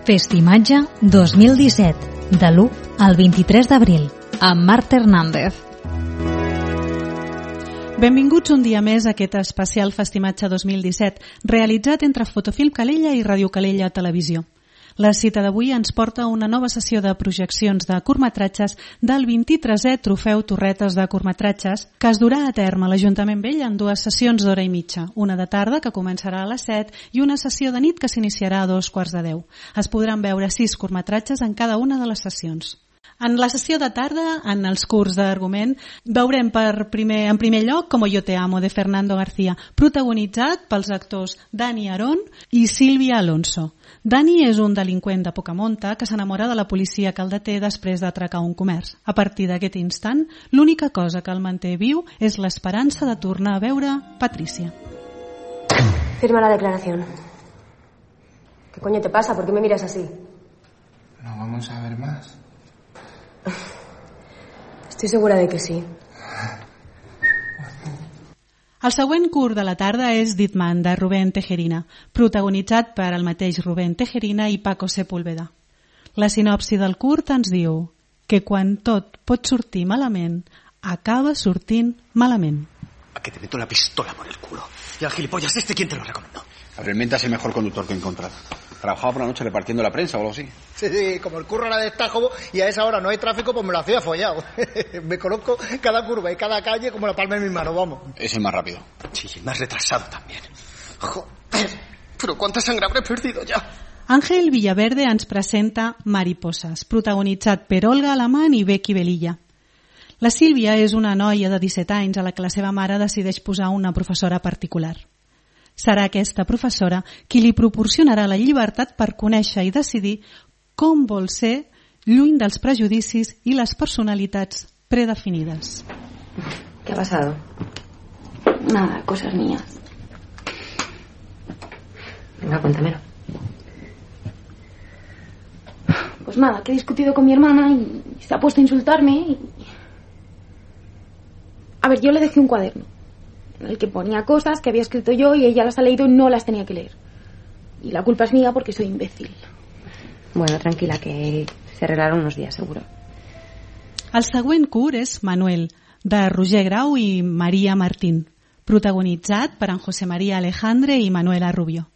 Festimatge 2017, de l'1 al 23 d'abril, amb Marta Hernández. Benvinguts un dia més a aquest especial Festimatge 2017, realitzat entre Fotofilm Calella i Ràdio Calella Televisió. La cita d'avui ens porta a una nova sessió de projeccions de curtmetratges del 23è Trofeu Torretes de Curtmetratges, que es durà a terme a l'Ajuntament Vell en dues sessions d'hora i mitja, una de tarda, que començarà a les 7, i una sessió de nit que s'iniciarà a 2:15. Es podran veure 6 curtmetratges en cada una de les sessions. En la sessió de tarda, en els curts d'argument, veurem en primer lloc Como yo te amo, de Fernando García, protagonitzat pels actors Dani Arón i Sílvia Alonso. Dani és un delinqüent de poca monta que s'enamora de la policia que el deté després d'atracar un comerç. A partir d'aquest instant, l'única cosa que el manté viu és l'esperança de tornar a veure Patricia. Firma la declaración. ¿Qué coño te pasa? ¿Por qué me miras así? ¿No vamos a ver más? Estoy segura de que sí. El següent curt de la tarda és Ditman, de Rubén Tejerina, protagonitzat per el mateix Rubén Tejerina i Paco Sepúlveda. La sinopsi del curt ens diu que quan tot pot sortir malament, acaba sortint malament. A que te meto la pistola por el culo. Y al gilipollas ¿quién te lo recomendó? Realmente es el mejor conductor que he encontrado. Trabajaba por la noche repartiendo la prensa o algo así. Sí, como el curro era de Estájobo y a esa hora no hay tráfico, pues me lo hacía follado. Me conozco cada curva y cada calle como la palma de mi mano, vamos. Es el más rápido. Sí, el más retrasado también. Joder, pero cuánta sangre habré perdido ya. Ángel Villaverde ens presenta Mariposas, protagonitzat per Olga Alamán i Becky Velilla. La Sílvia és una noia de 17 anys a la que la seva mare decideix posar una professora particular. Serà aquesta professora qui li proporcionarà la llibertat per conèixer i decidir com vol ser lluny dels prejudicis i les personalitats predefinides. ¿Qué ha pasado? Nada, cosas mías. Venga, cuéntamelo. Pues nada, que he discutido con mi hermana y se ha puesto a insultarme. A ver, yo le dejé un cuaderno en el que ponía cosas que había escrito yo y ella las ha leído y no las tenía que leer. Y la culpa es mía porque soy imbécil. Bueno, tranquila, que se arreglaron unos días, seguro. El següent curt és Manuel, de Roger Grau i Maria Martín, protagonitzat per en José María Alejandre i Manuela Rubio.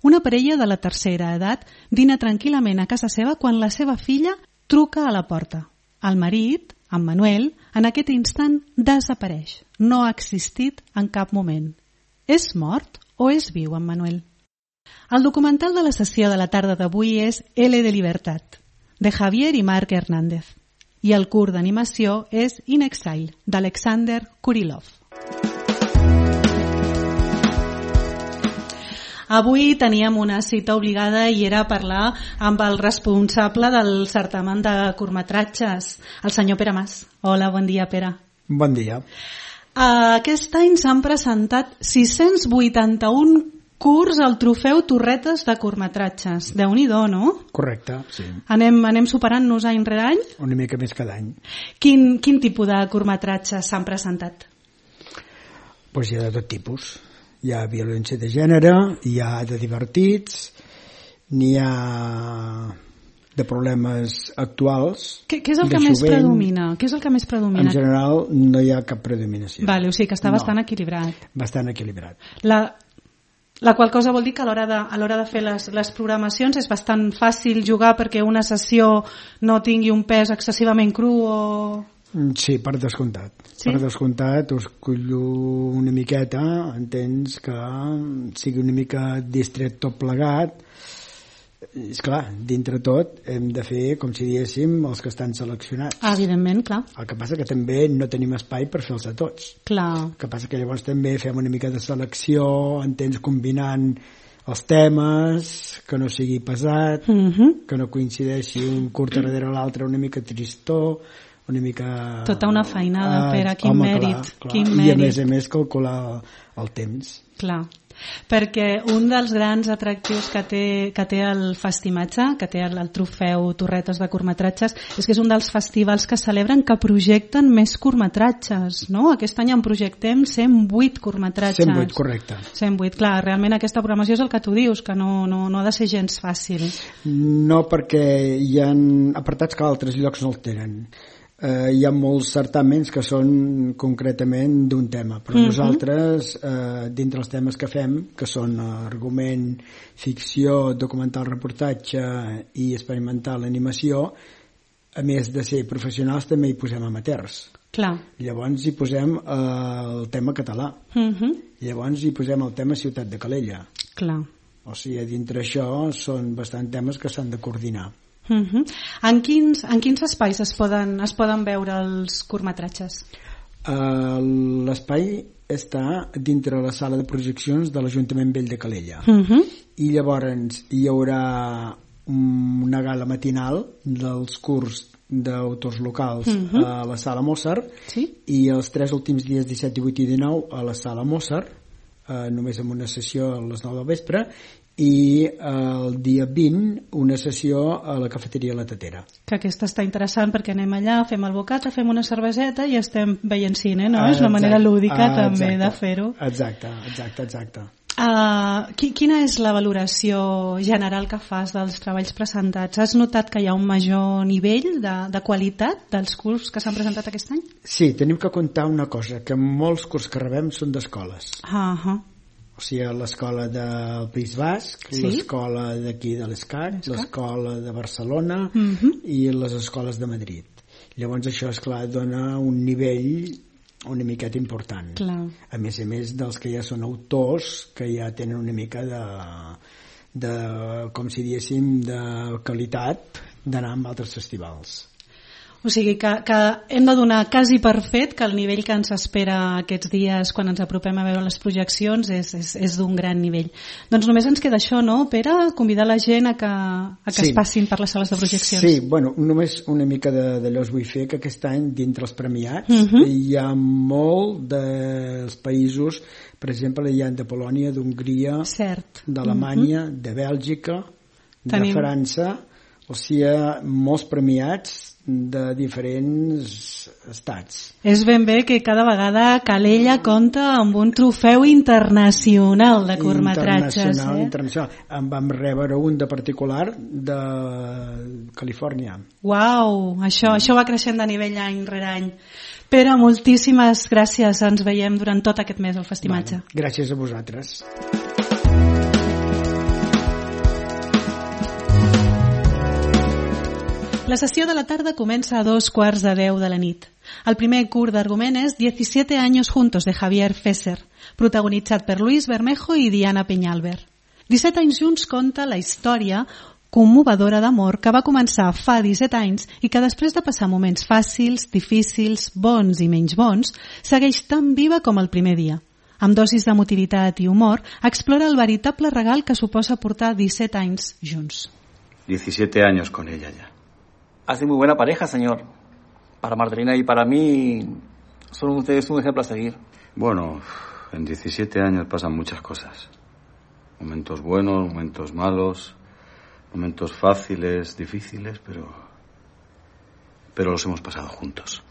Una parella de la tercera edat dina tranquil·lament a casa seva quan la seva filla truca a la porta. El marit, en Manuel, en aquest instant desapareix. No ha existit en cap moment. És mort o és viu, en Manuel? El documental de la sessió de la tarda d'avui és L de Libertat, de Javier i Marc Hernández. I el curt d'animació és In Exile, d'Alexander Kurilov. Avui teníem una cita obligada i era parlar amb el responsable del certamen de curtmetratges, el senyor Pere Mas. Hola, bon dia, Pere. Bon dia. Aquest any s'han presentat 681 curts al Trofeu Torretes de Curtmetratges. Déu-n'hi-do, no? Correcte, sí. Anem superant-nos any rere any? Una mica més cada any. Quin tipus de curtmetratges s'han presentat? Doncs hi ha de tot tipus. Hi ha violència de gènere, hi ha de divertits, n'hi ha de problemes actuals. Què és el que més predomina? Què és el que més predomina? En general no hi ha cap predominació. Vale, o sigui que està bastant equilibrat. Bastant equilibrat. La qual cosa vol dir que a l'hora de fer les programacions és bastant fàcil jugar perquè una sessió no tingui un pes excessivament cru o... Sí, per descomptat. Sí? Per descomptat us cullo una miqueta, entens que sigui una mica distret tot plegat. És clar, dintre tot hem de fer, com si diguéssim, els que estan seleccionats. Evidentment, clar. El que passa que també no tenim espai per fer-los a tots. Clar. El que passa que llavors també fem una mica de selecció, entens, combinant els temes, que no sigui pesat, que no coincideixi un curt darrere l'altre una mica tristó, una mica... Tota una feinada, Pere, quin mèrit. Quin I mèrit. a més calcular el temps. Clar, perquè un dels grans atractius que té el festimatge, que té el trofeu Torretes de curtmetratges, és que és un dels festivals que celebren que projecten més curtmetratges, no? Aquest any en projectem 108 curtmetratges. 108, correcte. 108, clar, realment aquesta programació és el que tu dius, que no ha de ser gens fàcil. No, perquè hi ha apartats que altres llocs no el tenen. Hi ha molts certàmens que són concretament d'un tema, però nosaltres, dintre els temes que fem, que són argument, ficció, documental, reportatge i experimental, animació, a més de ser professionals també hi posem amateurs. Clar. Llavors hi posem el tema català. Llavors hi posem el tema Ciutat de Calella. Clar. O sigui, dintre això són bastant temes que s'han de coordinar. En quins espais es poden veure els curtmetratges? L'espai està dintre la sala de projeccions de l'Ajuntament Vell de Calella. I llavors hi haurà una gala matinal dels curts d'autors locals a la sala Mozart, i els 3 últims dies, 17, 18 i 19, a la sala Mozart, només amb una sessió a les 9 del vespre, i el dia 20 una sessió a la cafeteria La Tatera. Que aquesta està interessant perquè anem allà, fem el bocata, fem una cerveseta i estem veient cine, no? És una manera lúdica també de fer-ho. Exacte. Quina és la valoració general que fas dels treballs presentats? Has notat que hi ha un major nivell de qualitat dels cursos que s'han presentat aquest any? Sí, tenim que comptar una cosa, que molts cursos que rebem són d'escoles. O sigui, l'escola del País Basc, l'escola d'aquí de l'ESCAC, l'escola de Barcelona i les escoles de Madrid. Llavors això, esclar, dona un nivell una miqueta important. Clar. A més dels que ja són autors, que ja tenen una mica de com si diéssim, de qualitat d'anar amb altres festivals. O sigui que hem de donar quasi per fet que el nivell que ens espera aquests dies quan ens apropem a veure les projeccions és d'un gran nivell. Doncs només ens queda això, no, Pere? Convidar la gent a que es passin per les sales de projeccions. Sí, bueno, només una mica d'allò us vull fer, que aquest any, dintre els premiats, hi ha molt dels països, per exemple, hi ha de Polònia, d'Hongria, d'Alemanya, de Bèlgica, de França, o sigui, molts premiats de diferents estats. És ben bé que cada vegada Calella compta amb un trofeu internacional de curtmetratges. Internacional. En vam rebre un de particular de Califòrnia. Uau, això va creixent de nivell any rere any. Pere, moltíssimes gràcies. Ens veiem durant tot aquest mes al Festimatge. Gràcies a vosaltres. La sessió de la tarda comença a 2:15 de la nit. El primer curt d'argument és 17 años juntos, de Javier Fesser, protagonitzat per Luis Bermejo i Diana Peñalver. 17 anys junts conta la història commovedora d'amor que va començar fa 17 anys i que després de passar moments fàcils, difícils, bons i menys bons, segueix tan viva com el primer dia. Amb dosis d'emotivitat i humor, explora el veritable regal que suposa portar 17 anys junts. 17 años con ella ya. Hace muy buena pareja, señor. Para Martelina y para mí son ustedes un ejemplo a seguir. Bueno, en 17 años pasan muchas cosas. Momentos buenos, momentos malos, momentos fáciles, difíciles, pero los hemos pasado juntos.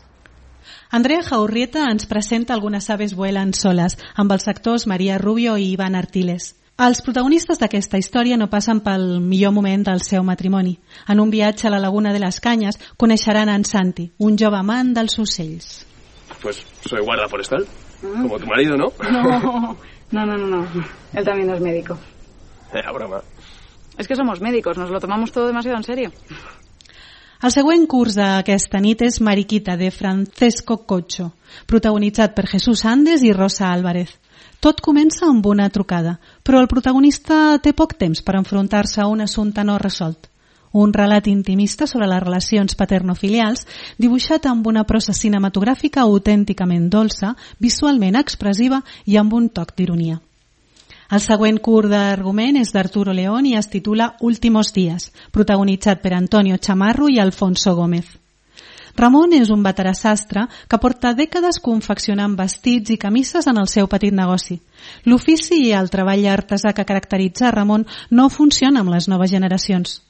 Andrea Jaurrieta ens presenta Algunas aves vuelan soles, amb els actors Maria Rubio i Iván Artiles. Els protagonistes d'aquesta història no passen pel millor moment del seu matrimoni. En un viatge a la Laguna de les Canyes coneixeran en Santi, un jove amant dels ocells. Pues soy guarda forestal, como tu marido, ¿no? No. Él también es médico. Era broma. Es que somos médicos, nos lo tomamos todo demasiado en serio. El següent curs d'aquesta nit és Mariquita, de Francesco Cocho, protagonitzat per Jesús Andes i Rosa Álvarez. Tot comença amb una trucada, però el protagonista té poc temps per enfrontar-se a un assumpte no resolt. Un relat intimista sobre les relacions paternofilials, dibuixat amb una prosa cinematogràfica autènticament dolça, visualment expressiva i amb un toc d'ironia. El següent curt d'argument és d'Arturo León i es titula Últimos días, protagonitzat per Antonio Chamarro i Alfonso Gómez. Ramon és un veterà sastre que porta dècades confeccionant vestits i camises en el seu petit negoci. L'ofici i el treball artesà que caracteritza Ramon no funciona amb les noves generacions.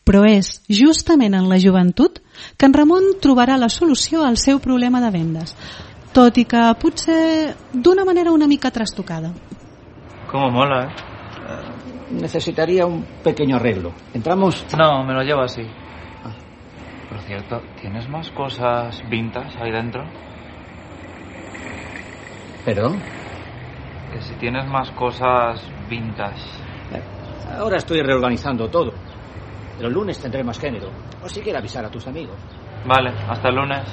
Però és justament en la joventut que en Ramon trobarà la solució al seu problema de vendes, tot i que potser d'una manera una mica trastocada. Cómo mola, ¿eh? Necesitaría un pequeño arreglo. ¿Entramos? No, me lo llevo así. Por cierto, ¿tienes más cosas vintage ahí dentro? ¿Perdón? Que si tienes más cosas vintage. Ahora estoy reorganizando todo. Pero el lunes tendré más género. O si quieres avisar a tus amigos. Vale, hasta el lunes.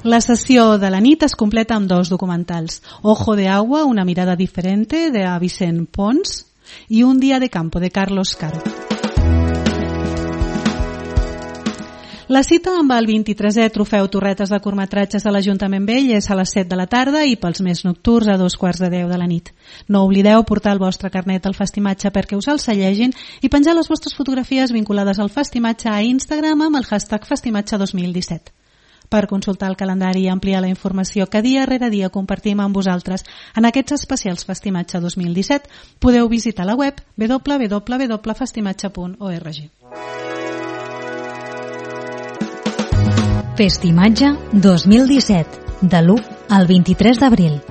La sessió de la nit es completa amb 2 documentals. Ojo de agua, una mirada diferente, de Vicent Pons, i Un día de campo, de Carlos Caro. La cita amb el 23è Trofeu Torretes de curtmetratges de l'Ajuntament Vell és a les 7 de la tarda i pels més nocturns a 2:15 de la nit. No oblideu portar el vostre carnet al Festimatge perquè us el sellegin i penjar les vostres fotografies vinculades al Festimatge a Instagram amb el hashtag Festimatge 2017. Per consultar el calendari i ampliar la informació que dia rere dia compartim amb vosaltres en aquests especials Festimatge 2017, podeu visitar la web www.festimatge.org. Festimatge 2017, de l'1 al 23 d'abril.